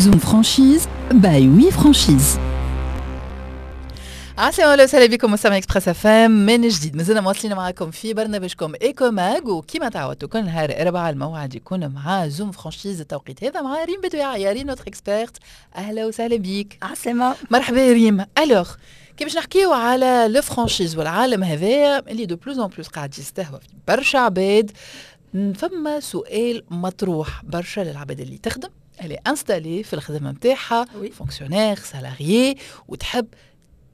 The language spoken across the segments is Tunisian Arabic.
Zoom Franchise by We Franchise. عسلامة اهلا وسهلا بكم مستمعي Express FM من جديد، مازلنا مواصلين معكم في برنامجكم Ecomag، وكما تعودتوا كل نهار اربعاء الموعد يكون مع Zoom Franchise، التوقيت هذا مع ريم بدوي. يا ريم notre experte، اهلا وسهلا بيك. عسلامة. مرحبا ريم. alors كي باش نحكيو على la franchise والعالم هذايا اللي de plus en plus قاعد يستهوى في برشا عباد، فما سؤال مطروح برشا للعباد اللي تخدم، اللي installée في الخدمة نتاعها، fonctionnaire، salarié، وتحب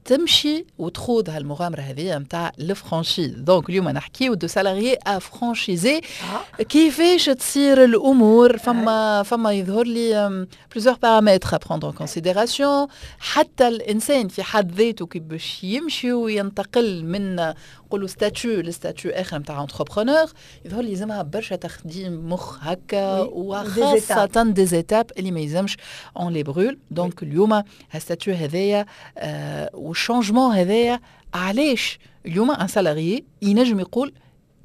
تمشي وتخوض هالمغامره هذه نتاع ال franchise. donc اليوم نحكيو de salarié à franchisé، كيفاش تصير الامور. فما يظهر لي plusieurs paramètres à prendre en considération، حتى الانسان في حد ذاته كي باش يمشي وينتقل من نقولوا statut ل statut اخر نتاع entrepreneur، يظهر لي يلزمها برشا تخديم مخ هكا، وخاصة des étapes اللي ما يلزمش on les brûle. donc اليوم هال statut هذايا وال changement هذايا، علاش اليوم un salarié ينجم يقول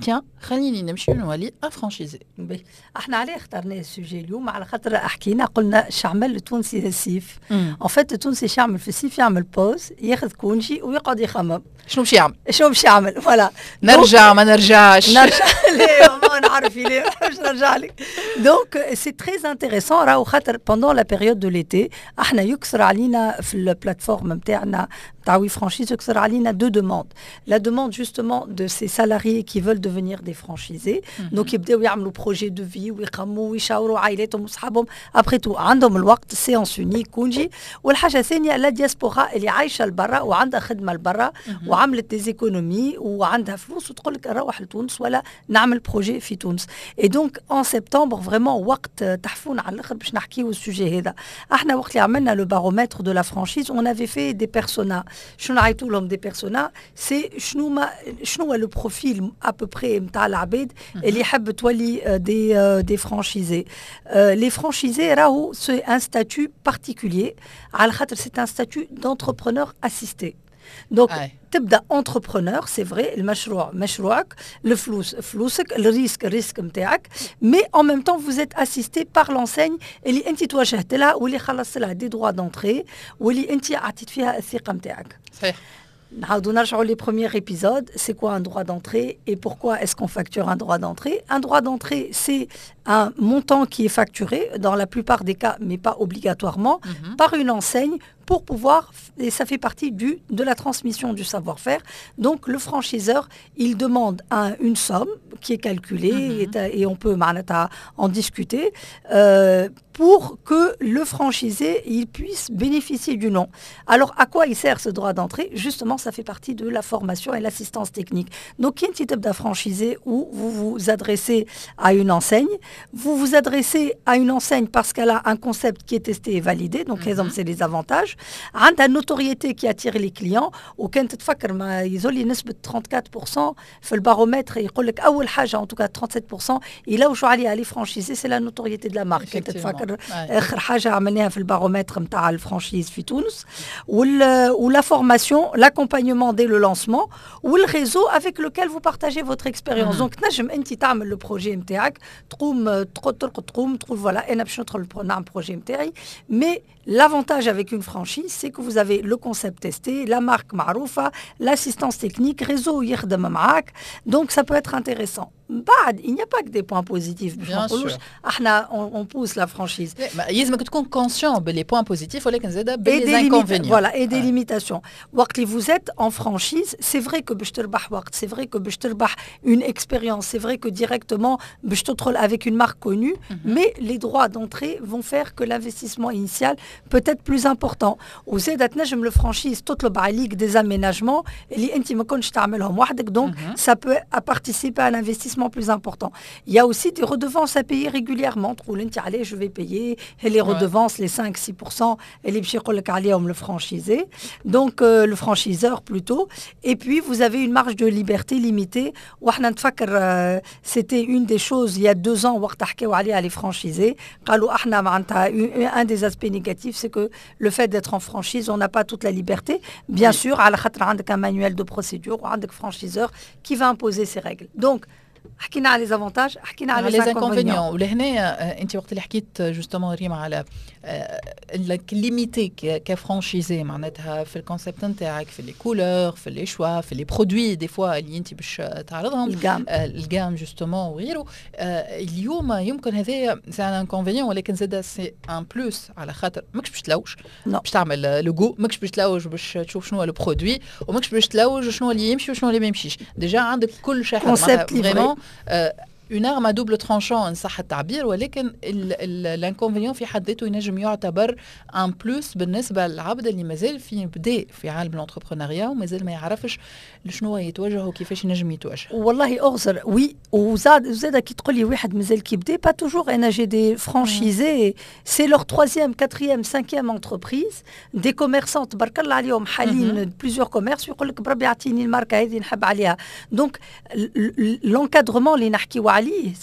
tiens، خليني نمشي نولي un franchisé؟ احنا عليه اخترنا ال sujet اليوم؟ على خاطر حكينا قلنا شعمل التونسي الصيف. en fait التونسي شعمل في الصيف؟ يعمل pause، ياخذ congé ويقعد يخمم. شنو باش يعمل؟ شنو باش يعمل، voilà. نرجع ما نرجعش؟ نرجع، لا ما نعرف ليه باش نرجع لك. donc c'est très intéressant راهو، خاطر pendant la période de l'été احنا يكثر علينا في ال plateforme نتاعنا نتاع We Franchise، يكثر علينا deux demandes: la demande justement de ces salariés qui veulent devenir des franchisés، donc يبداو يعملوا projet de vie ويخموا ويشاوروا عائلاتهم وصحابهم، après tout عندهم الوقت، séance unique، congé. والحاجة الثانية la diaspora اللي عايشه لبرا وعندها خدمة لبرا وعملت des économies وعندها فلوس وتقول لك نروح لتونس ولا نعمل projet في تونس. et donc en septembre vraiment وقت تحفون على الاخر باش نحكيو ال sujet هذا. احنا وقت اللي عملنا le baromètre de la franchise، on avait fait des personas. شنو نعيطوا لهم des personas؟ c'est شنو ما شنو هو le profil à peu près نتاع العباد اللي يحب تولي des franchisés. les franchisés راهو c'est un statut particulier، على خاطر c'est un statut d'entrepreneur assisté. donc تبدا entrepreneur، c'est vrai، المشروع مشروعك، الفلوس فلوسك، ال risque ال risque نتاعك، mais en même temps vous êtes assisté par l'enseigne اللي انت توجهت لها واللي خلصت لها des droits d'entrée واللي انت عطيت فيها الثقة نتاعك. نعاودوا نرجعوا les premiers épisodes: c'est quoi un droit d'entrée et pourquoi est-ce qu'on facture un droit d'entrée؟ Un droit d'entrée، c'est un montant qui est facturé dans la plupart des cas، mais pas obligatoirement، par une enseigne pour pouvoir، et ça fait partie de la transmission du savoir-faire. Donc le franchiseur، il demande une somme qui est calculée et on peut معناتها en discuter pour que le franchisé il puisse bénéficier du nom. Alors à quoi il sert ce droit d'entrée؟ Justement، ça fait partie de la formation et l'assistance technique. Donc كي انت تبدا franchisé ou vous vous adressez à une enseigne، vous vous adressez à une enseigne parce qu'elle a un concept qui est testé et validé، donc c'est les avantages. عندها notoriété qui attire les clients، وكانت تفكر ما يزولي نسبة 34% في البارومتر، يقول لك أول حاجة، en tout cas 37% يلوجوا عليها les franchisés، c'est la notoriété de la marque. كانت تفكر آخر حاجة عملناها في البارومتر نتاع ال franchise في تونس، و la formation، l'accompagnement dès le lancement، وال réseau avec lequel vous partagez votre expérience. donc تنجم انت تعمل le projet نتاعك، تقوم ترقد تقوم تقول voilà انا باش ندخل نعمل projet نتاعي، mais l'avantage avec une franchise، c'est que vous avez le concept testé، la marque معروفة، l'assistance technique، réseau يخدم معاك، donc ça peut être intéressant. بعد il n'y a pas que des points positifs باش ما نقولوش احنا on pousse la franchise. يلزمك تكون conscient ب les points positifs ولكن زاد ب les inconvénients. voilà، et des limitations. وقت اللي vous êtes en franchise، c'est vrai que باش تربح وقت، c'est vrai que باش تربح une expérience، c'est vrai que directement باش تدخل avec une marque connue، mais les droits d'entrée vont faire que l'investissement initial peut être plus important. وزاد تنجم le franchise تطلب عليك des aménagements اللي انت ما كنتش تعملهم وحدك، donc ça peut participer à un investissement plus important. Il y a aussi des redevances à payer régulièrement. تقول انت allez، je vais payer les redevances، les 5-6% اللي باش يقول لك عليهم le franchisé، donc le franchiseur plutôt. Et puis vous avez une marge de liberté limitée. واحنا نتفكر c'était une des choses il y a 2 ans وقت حكاو عليها les franchisés، قالوا احنا معناتها un des aspects négatifs، c'est que le fait d'être en franchise، on n'a pas toute la liberté. Bien sûr، على خاطر عندك un manuel de procédure وعندك franchiseur qui va imposer ses règles. Donc حكينا على les avantages، حكينا على les inconvénients. ولهنا انت وقت اللي حكيت justement ريما على انك limité ك franchisé، معناتها في ال concept نتاعك، في les couleurs، في les choix، في les produits des fois اللي انت باش تعرضهم، ال gamme. ال gamme justement وغيره. اليوم يمكن هذايا c'est un inconvénient، ولكن زاد c'est un plus، على خاطر ماكش باش تلوج باش تعمل لوجو، ماكش باش تلوج باش تشوف شنو هو ال produit، وماكش باش تلوج شنو اللي يمشي وشنو اللي ما يمشيش. déjà عندك كل شيء. concept. vraiment une arme à double tranchant ان صح التعبير، ولكن l'inconvénient في حد ذاته ينجم يعتبر un plus بالنسبة للعبد اللي مازال في بدا في عالم l'entrepreneuriat ومازال ما يعرفش لشنو يتوجه وكيفاش ينجم يتوجه. والله اغزر، oui، وزاد كي تقول لي واحد مازال كي بدا، pas toujours. انا j'ai des franchisés، c'est leur troisième، quatrième، cinquième entreprise، des commerçants تبارك الله عليهم، حالين plusieurs commerces، يقول لك بربي اعطيني الماركة هذه نحب عليها. donc l'encadrement اللي نحكيو عليه،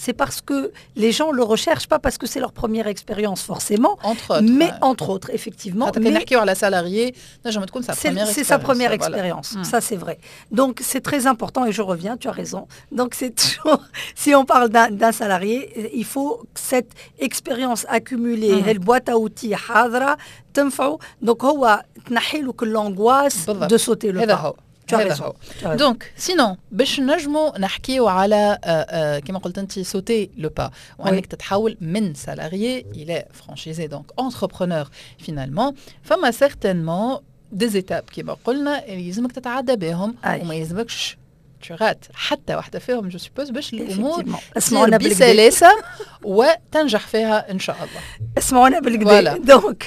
c'est parce que les gens le recherchent، pas parce que c'est leur première expérience forcément. Entre autres. Mais entre autres, effectivement. Mais نحكيو على salarié نجم تكون sa première. C'est sa première expérience, ça c'est vrai. Donc c'est très important et je reviens, tu as raison. Donc c'est toujours, si on parle d'un salarié, il faut cette expérience accumulée, ال boîte à outils حاضرة تنفعه. donc هو تنحي له كل l'angoisse de sauter le pas. هذا هو. donc sinon باش نجمو نحكيو على كما قلت انت sauter le pas وانك تتحول من salarié الى franchisé، donc entrepreneur finalement، فما certainement des étapes كما قلنا اللي يلزمك تتعدى بهم وما يلزمكش tu rates حتى واحدة فيهم je suppose، باش الامور اسمعونا. بسلاسة وتنجح فيها ان شاء الله. اسمعونا بالقدا. donc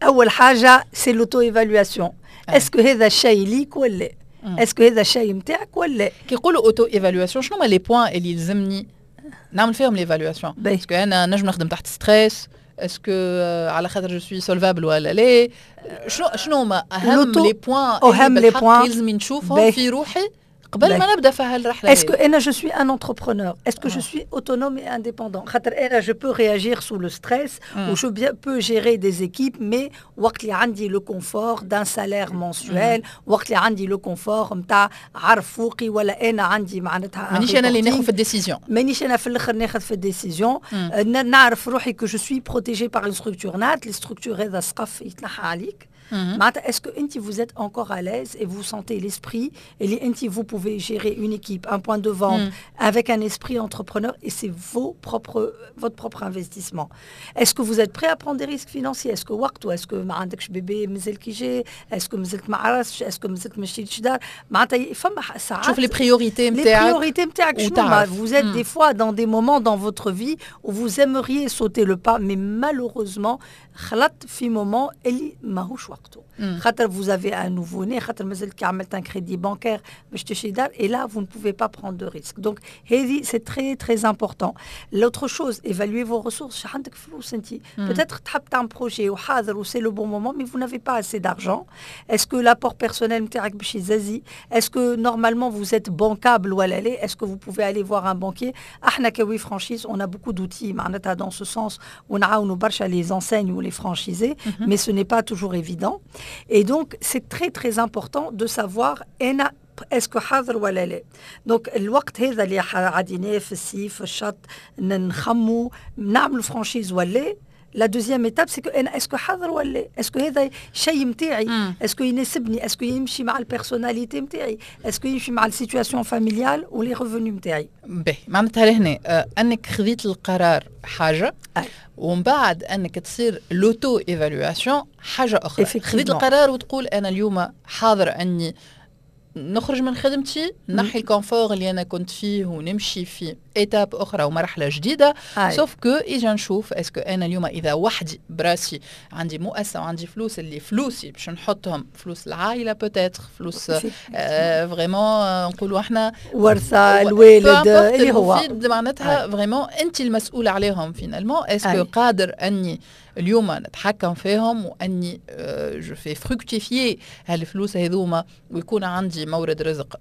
اول حاجة c'est l'auto-évaluation، est-ce que هذا الشيء ليك ولا est-ce que هذا الشيء نتاعك ولا؟ كي يقولوا auto-évaluation، شنو هما les points اللي يلزمني نعمل فيهم l'évaluation؟ est-ce que انا نجم نخدم تحت stress؟ est-ce que على خاطر je suis solvable ولا لا؟ شنو هما اهم les points؟ اهم les points لازم نشوفهم في روحي قبل ما نبدا في هالرحله. est-ce que انا je suis un entrepreneur؟ est-ce que je suis autonome et indépendant؟ خاطر انا je peux réagir sous le stress ou je peux gérer des équipes، mais وقت اللي عندي le confort d'un salaire mensuel، وقت اللي عندي le confort نتاع عرف فوقي ولا انا عندي معناتها مانيش انا اللي ناخذ في ال décision. مانيش انا في الاخر ناخذ في ال décision، نعرف روحي que je suis protégé par une structure. نهار ال structure هذا سقف يتنحى عليك، معناتها est-ce que انت vous êtes encore à l'aise et vous sentez l'esprit اللي انت vous pouvez gérer une équipe، un point de vente avec un esprit entrepreneur et c'est votre propre investissement؟ est-ce que vous êtes prêt à prendre des risques financiers؟ est-ce que وقته؟ est-ce que ما عندكش bébé مازال كي جاي؟ est-ce que مازلت ما عرستش؟ est-ce que مازلت ما شريتش دار؟ معناتها فما ساعات شوف les priorités نتاعك. les priorités نتاعك شنو. vous êtes des fois dans des moments dans votre vie où vous aimeriez sauter le pas، mais malheureusement خلطت في moment اللي ماهوش وقته، خاطر vous avez un nouveau-né، خاطر مازلت كي عملت un crédit bancaire باش تشري دار، et là vous ne pouvez pas prendre de risques. donc هذه c'est très très important. l'autre chose، évaluer vos ressources. عندك فلوس انت peut-être تحب تعمل projet وحاضر و c'est le bon moment، mais vous n'avez pas assez d'argent. est-ce que l'apport personnel نتاعك باش يزازي؟ est-ce que normalement vous êtes bancable ولا لا؟ est-ce que vous pouvez aller voir un banquier؟ احنا ك We Franchise on a beaucoup d'outils معناتها dans ce sens، ونعاونوا برشا les enseignes ou les franchisés، mais ce n'est pas toujours évident. et donc c'est très très important de savoir انا est-ce que حاضر ولا لا. donc الوقت هذا اللي عديناه في الصيف في الشط نخمو نعملوا franchise ولا، la deuxième étape c'est que انا est-ce que حاضر ولا، est-ce que هذا شيء نتاعي، est-ce que يناسبني، est-ce que يمشي مع ال personnalité نتاعي، est-ce que يمشي مع ال situation familiale و les revenus نتاعي. باهي، معناتها لهنا انك خذيت القرار حاجه، ومن بعد انك تصير l'auto-évaluation حاجة اخرى. خذيت القرار وتقول انا اليوم حاضر اني نخرج من خدمتي، نحي ال confort اللي انا كنت فيه ونمشي في étape اخرى ومرحلة جديده، sauf que اجا نشوف est-ce que انا اليوم اذا وحدي براسي عندي مؤسسة وعندي فلوس، اللي فلوسي باش نحطهم، فلوس العائلة peut-être، فلوس vraiment نقولوا احنا ورثه الوالد اللي هو معناتها vraiment انت المسؤولة عليهم finalement، est-ce que قادر اني اليوم نتحكم فيهم واني je fais fructifier هالفلوس هذوما ويكون عندي مورد رزق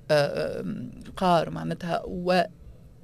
قار معناتها و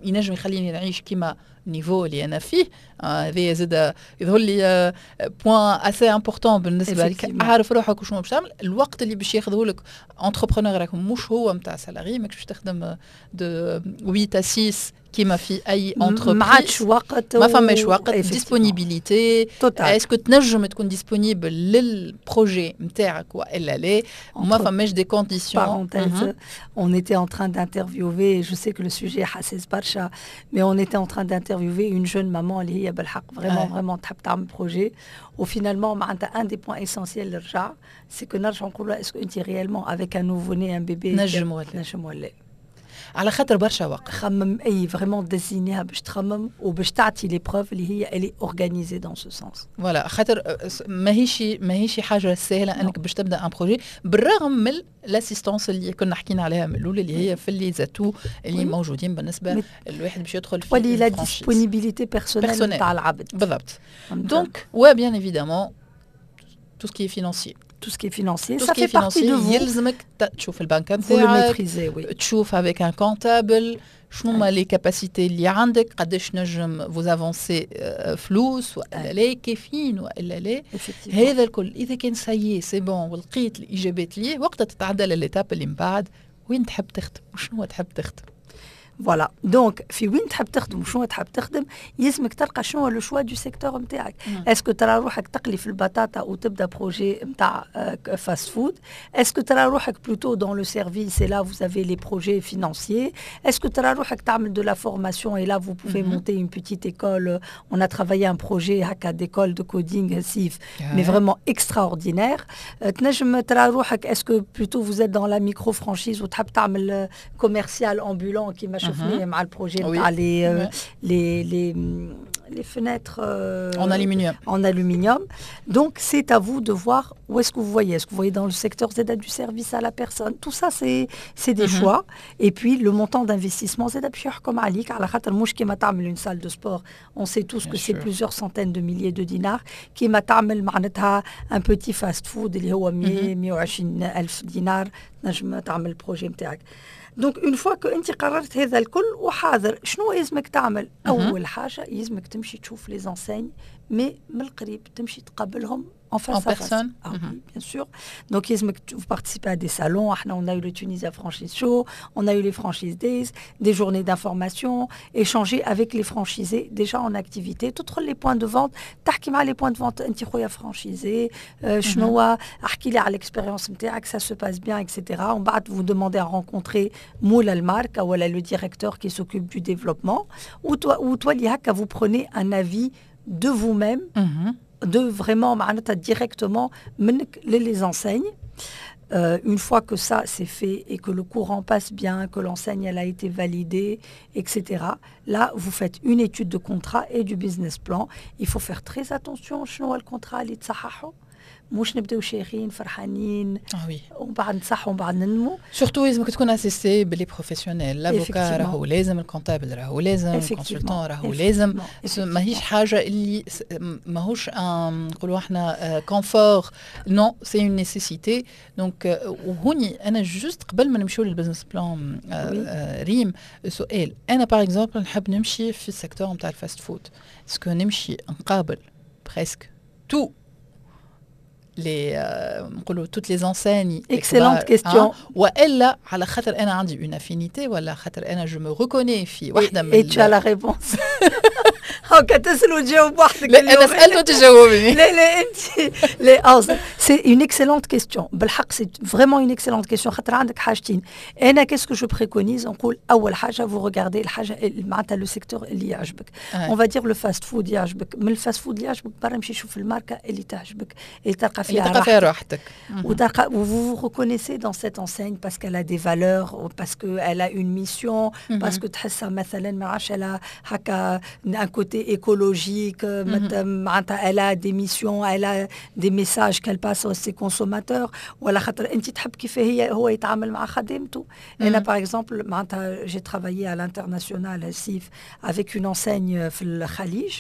ينجم يخليني نعيش كيما niveau اللي انا فيه هذه زاد يظهر لي point assez important بالنسبة لك. عارف روحك وشنو باش تعمل، الوقت اللي باش ياخذه لك entrepreneur راك مش هو نتاع salarié، ماكش باش تخدم de 8 à 6 كيما في اي entreprise. ما عادش وقت. ما فماش وقت، disponibilité، est-ce que تنجم تكون disponible لل projet نتاعك والا لا، وما فماش des conditions. Parenthèse, on était en train d'interviewer, je sais que le sujet حساس برشا, mais on était en train d'interviewer une jeune maman اللي هي بالحق vraiment vraiment تحب تعمل projet، و finalement معناتها un des points essentiels اللي رجع، c'est que نرجع نقولوا est-ce que انت réellement avec un nouveau-né، un bébé، نجم ولا نجم ولا؟ على خاطر برشا وقت. خمم، اي vraiment ديزينيها باش تخمم وباش تعطي les preuves اللي هي elle est organisée dans ce sens. voilà، خاطر ماهيش حاجة سهلة انك باش تبدا un projet، بالرغم من l'assistance اللي كنا حكينا عليها من الاول، اللي هي في les atouts اللي موجودين بالنسبة الواحد باش يدخل في ولي la disponibilité personnelle نتاع العبد. بالضبط، donc و bien évidemment tout ce qui est financier. tout ce qui est financier, ça fait partie de vous. يلزمك تشوف البنك نتاعك، تشوف avec un comptable شنو هما les capacités اللي عندك، قداش نجم vous avancez فلوس والا لا، كافيين والا لا. هذا الكل اذا كان ça y est، c'est bon ولقيت الاجابات ليه، وقتها تتعدى لل étape اللي من بعد، وين تحب تخدم وشنو تحب تخدم. voilà، donc في وين تحب تخدم وشنو تحب تخدم، يلزمك تلقى شنو هو le choix du secteur نتاعك. est-ce que ترى روحك تقلي في البطاطا وتبدا projet نتاع fast-food؟ est-ce que ترى روحك plutôt dans le service et là vous avez les projets financiers؟ est-ce que ترى روحك تعمل de la formation et là vous pouvez monter une petite école؟ on a travaillé un projet هكا d'école de coding سيف، mais vraiment extraordinaire. تنجم ترى روحك est-ce que plutôt vous êtes dans la micro franchise وتحب تعمل commercial ambulant كيما شفناه مع ال projet نتاع les fenêtres en aluminium. En aluminium. Donc, c'est à vous de voir où est-ce que vous voyez. Est-ce que vous voyez dans le secteur زادة du service à la personne؟ Tout ça, c'est des choix. Et puis, le montant d'investissement زادة باش يحكم عليك، على خاطر مش كيما تعمل une salle de sport. On sait tous que c'est plusieurs centaines de milliers de dinars. كيما تعمل معناتها un petit fast-food اللي هو 100 120 ألف دينار تنجم تعمل ال projet نتاعك. donc une fois que انت قررت هذا الكل وحاضر، شنو يلزمك تعمل؟ اول حاجة يلزمك تمشي تشوف les enseignes، mais من القريب، تمشي تقابلهم en face en personne. Ah oui, bien sûr. Donc, vous participez à des salons. On a eu le Tunisia Franchise Show, on a eu les Franchise Days, des journées d'information, échanger avec les franchisés déjà en activité. Tous les points de vente, تحكي مع les points de vente، انت خويا franchisé، شنو احكي لي على l'expérience نتاعك، ça se passe bien، etc. ومن بعد vous demandez à rencontrer مول الماركة ولا le directeur qui s'occupe du développement، وتولي هكا vous prenez un avis de vous-même, de vraiment معناتها directement من les enseignes. Une fois que ça c'est fait et que le courant passe bien, que l'enseigne elle a été validée, etc. Là, vous faites une étude de contrat et du business plan. Il faut faire très attention شنو هو ال contrat اللي تصححه، مش نبداو شايخين فرحانين ومن بعد نصحوا ومن بعد نندموا. surtout لازمك تكون assisté ب les professionnels، l'avocat راهو لازم، ال comptable راهو لازم، ال consultant راهو لازم. ماهيش حاجة اللي ماهوش نقولوا احنا confort، non، c'est une nécessité. donc وهوني انا juste قبل ما نمشيو لل business plan، ريم، سؤال: انا par exemple نحب نمشي في ال secteur نتاع ال fast-food، est-ce que نمشي نقابل presque tous les نقولوا toutes les enseignes؟ excellente question. والا على خاطر انا عندي une affinité ولا خاطر انا je me reconnais في واحدة من et tu as la réponse، هاكا تسال وتجاوب وحدك. لا، انا سالت وتجاوبني. لا لا، انت لا. c'est une excellente question، بالحق c'est vraiment une excellente question، خاطر عندك حاجتين. انا qu'est-ce que je préconise؟ نقول اول حاجة vous regardez الحاجة معناتها le secteur اللي يعجبك، on va dire le fast-food يعجبك، من ال fast-food اللي يعجبك برا امشي شوف الماركة اللي تعجبك، اللي تلقى فيها اللي تلقى فيها راحتك. وتلقى vous vous reconnaissez dans cette enseigne parce qu'elle a des valeurs، parce qu'elle a une mission، parce que تحسها مثلا ما عرفش elle a هكا un côté écologique، معناتها elle a des missions، elle a des messages qu'elle passe à ses consommateurs، ولا خاطر انت تحب كيف هي هو يتعامل مع خدمته. انا par exemple معناتها j'ai travaillé à l'international سيف avec une enseigne في الخليج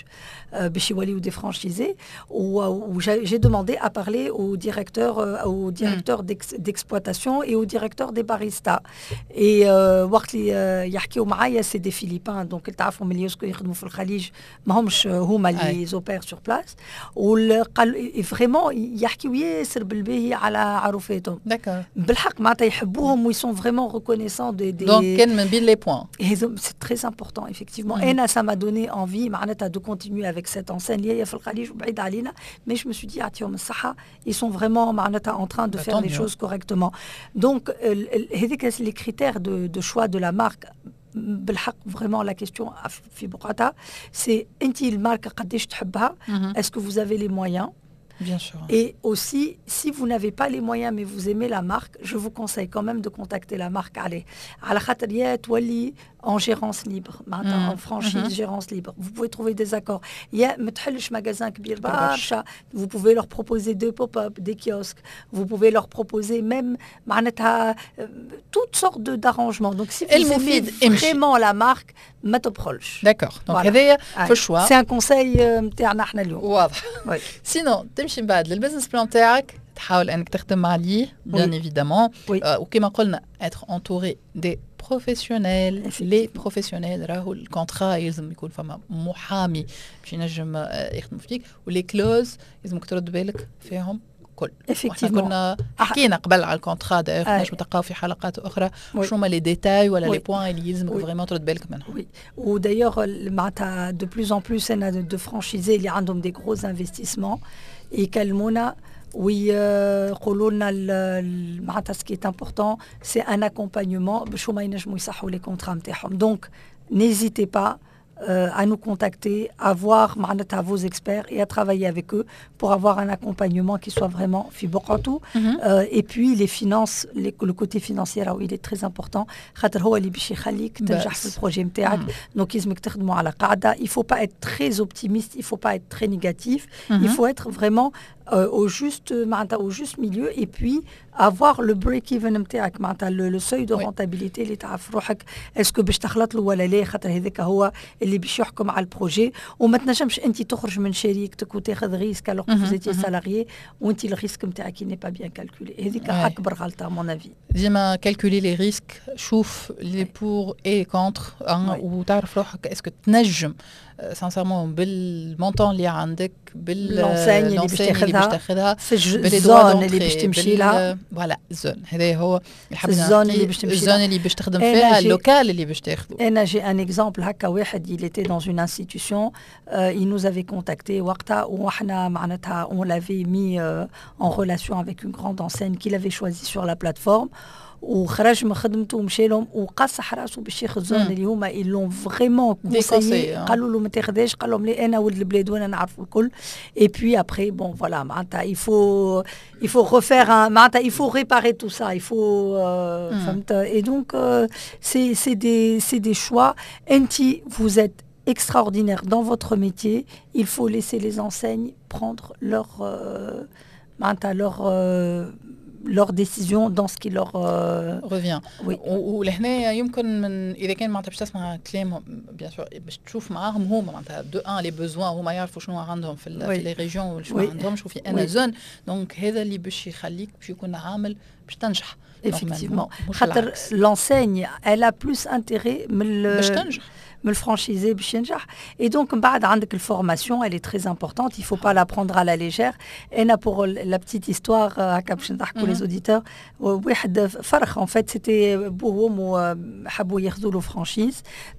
باش يوليو des franchisés، و j'ai demandé à parler au directeur d'exploitation et au directeur des baristas، et وقت اللي يحكيو معايا، c'est des Philippins، donc تعرفوا ملي يخدموا في الخليج. ماهمش هما اللي opèrent sur place، وقال vraiment يحكيو ياسر بالباهي على عروفاتهم. بالحق معناتها يحبوهم و ils sont vraiment reconnaissants des donc كان من بين les points. c'est très important effectivement. انا ça m'a donné envie معناتها de continuer avec cette enseigne اللي هي في الخليج وبعيد علينا، mais je me suis dit يعطيهم الصحه، ils sont vraiment معناتها en train de faire les choses correctement. donc هذيك les critères de choix de la marque. بالحق vraiment la question في بقعتها، c'est انت ال marque قداش تحبها، est-ce que vous avez les moyens؟ Bien sûr. Et aussi, si vous n'avez pas les moyens mais vous aimez la marque, je vous conseille quand même de contacter la marque. Allez, على خاطر يا تولي en gérance libre, معناتها en franchise gérance libre. Vous pouvez trouver des accords. يا ما تحلش magasin كبير برشا. Vous pouvez leur proposer deux pop-up, des kiosques. Vous pouvez leur proposer même معناتها toutes sortes d'arrangements. Donc si vous aimez vraiment la marque, ما تبخلش. D'accord. Donc هذايا في ال choix. C'est un conseil نتاعنا احنا اليوم. واضح. sinon تمشي من بعد لل business plan تاعك، تحاول انك تخدم عليه bien évidemment، وكما قلنا être entouré des professionnels، les professionnels. راهو ال contrat يلزم يكون فما محامي باش ينجم يخدم فيك، و les clauses لازمك ترد بالك فيهم كل. Effectivement. كنا حكينا قبل على ال contrat d'ailleurs، نجم تلقاو في حلقات اخرى شنو هما les détails ولا les points اللي يلزمك vraiment ترد بالك منهم. oui، و d'ailleurs معناتها de plus en plus انا de franchisés اللي عندهم des gros investissements يكلمونا ويقولوا لنا معناتها ce qui est important c'est un accompagnement باش هما ينجموا يصحوا les contrats نتاعهم. donc n'hésitez pas à nous contacter, à voir معناتها vos experts et à travailler avec eux pour avoir un accompagnement qui soit vraiment في بقعته. Et puis les finances, le côté financier راهو il est très important، خاطر هو اللي باش يخليك تنجح في ال projet نتاعك. donc لازمك تخدموا على قاعدة. il faut pas être très optimiste، il faut pas être très négatif، il faut être vraiment au juste معناتها au juste milieu et puis avoir le break even نتاعك، معناتها le seuil de rentabilité اللي تعرف روحك est-ce que باش تخلط له ولا لا، خاطر هذاك هو اللي باش يحكم على ال projet. وما تنجمش انت تخرج من شريكتك وتاخذ risque alors que vous étiez salarié وانت ال risque نتاعك n'est pas bien calculé. هذيك اكبر غلطه à mon avis. ديما calculer les risques، شوف les pour et contre، وتعرف روحك est-ce que تنجم sincèrement بال montant اللي عندك، بال l'enseigne اللي باش تاخذها، في ال zone اللي باش تمشي لها. voilà، ال zone هذا هو. ال zone اللي باش تمشي ال zone اللي باش تخدم فيها، ال local اللي باش تاخذه. انا j'ai un exemple هكا، واحد il était dans une institution، il nous avait contacté وقتها، وحنا معناتها on l'avait mis en relation avec une grande enseigne qu'il avait choisie sur la plateforme، وخرج من خدمته ومشى لهم وقصح راسه باش ياخذ zone اللي هما ils l'ont vraiment déconseillé. قالوا له ما تاخذهاش، قال لهم لا، انا ولد البلاد وانا نعرف الكل. et puis après bon voilà، معناتها il faut refaire معناتها il faut réparer tout ça، il faut فهمت. et donc c'est des choix. انت vous êtes extraordinaire dans votre métier، il faut laisser les enseignes prendre leur معناتها leur décision dans ce qui leur revient. oui. ولهنا يمكن من اذا كان معناتها باش تسمع كلامهم bien sûr، باش تشوف معاهم هما معناتها de un les besoins، هما يعرفوا شنو عندهم في les régions وشنو عندهم شو في انا zone. donc هذا اللي باش يخليك باش يكون عامل باش تنجح. effectivement، خاطر l'enseigne elle a plus intérêt من باش تنجح. من ال franchisé باش ينجح. et donc من بعد عندك ال formation، elle est très importante، il faut pas la prendre à la légère. انا pour la petite histoire هكا باش نضحكوا les auditeurs، واحد فرخ en fait c'était بوه وامه حبوا ياخذوا له franchise،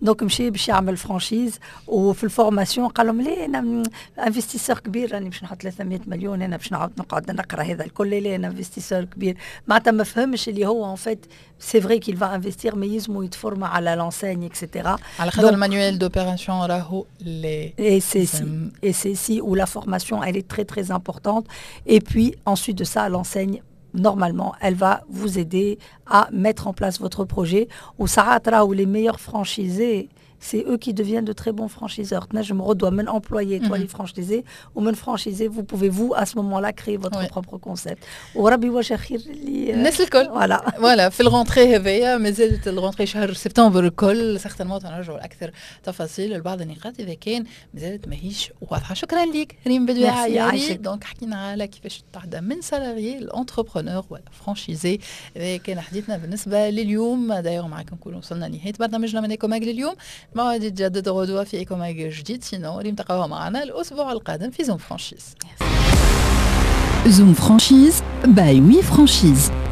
donc مشي باش يعمل franchise، وفي ال formation قال لهم ليه، انا investisseur كبير، راني باش نحط 300 مليون، انا باش نعاود نقعد نقرا هذا الكل؟ ليه، انا investisseur كبير. معناتها ما فهمش اللي هو en fait c'est vrai qu'il va investir mais يلزمو يتفورما على l'enseigne et cetera. على خاطر ال manuel d'opération راهو les Et c'est si, et c'est si où la formation elle est très très importante. Et puis ensuite de ça, l'enseigne normalement, elle va vous aider à mettre en place votre projet. وساعات راهو les meilleurs franchisés, c'est eux qui deviennent de très bons franchiseurs. تنجم غدوة من employé تولي franchisé، ومن franchisé vous pouvez vous à ce moment-là créer votre propre concept. وربي يوجه خير اللي الناس الكل. voilà. voilà، في ال rentrée هذايا، مازالت ال rentrée شهر سبتمبر الكل، certainement نرجعوا لاكثر تفاصيل لبعض النقاط اذا كان مازالت ماهيش واضحه. شكرا لك ريم بدوي عياري. donc حكينا على كيفاش تعدى من salarié ل entrepreneur ولا franchisé. هذا كان حديثنا بالنسبة لليوم. d'ailleurs معكم نكون وصلنا لنهاية برنامجنا من Ecomag لليوم. موعد يتجدد غدوه في Ecomag جديد، sinon اللي نتلقاوها معنا الاسبوع القادم في Zoom Franchise. Zoom Franchise by We Franchise.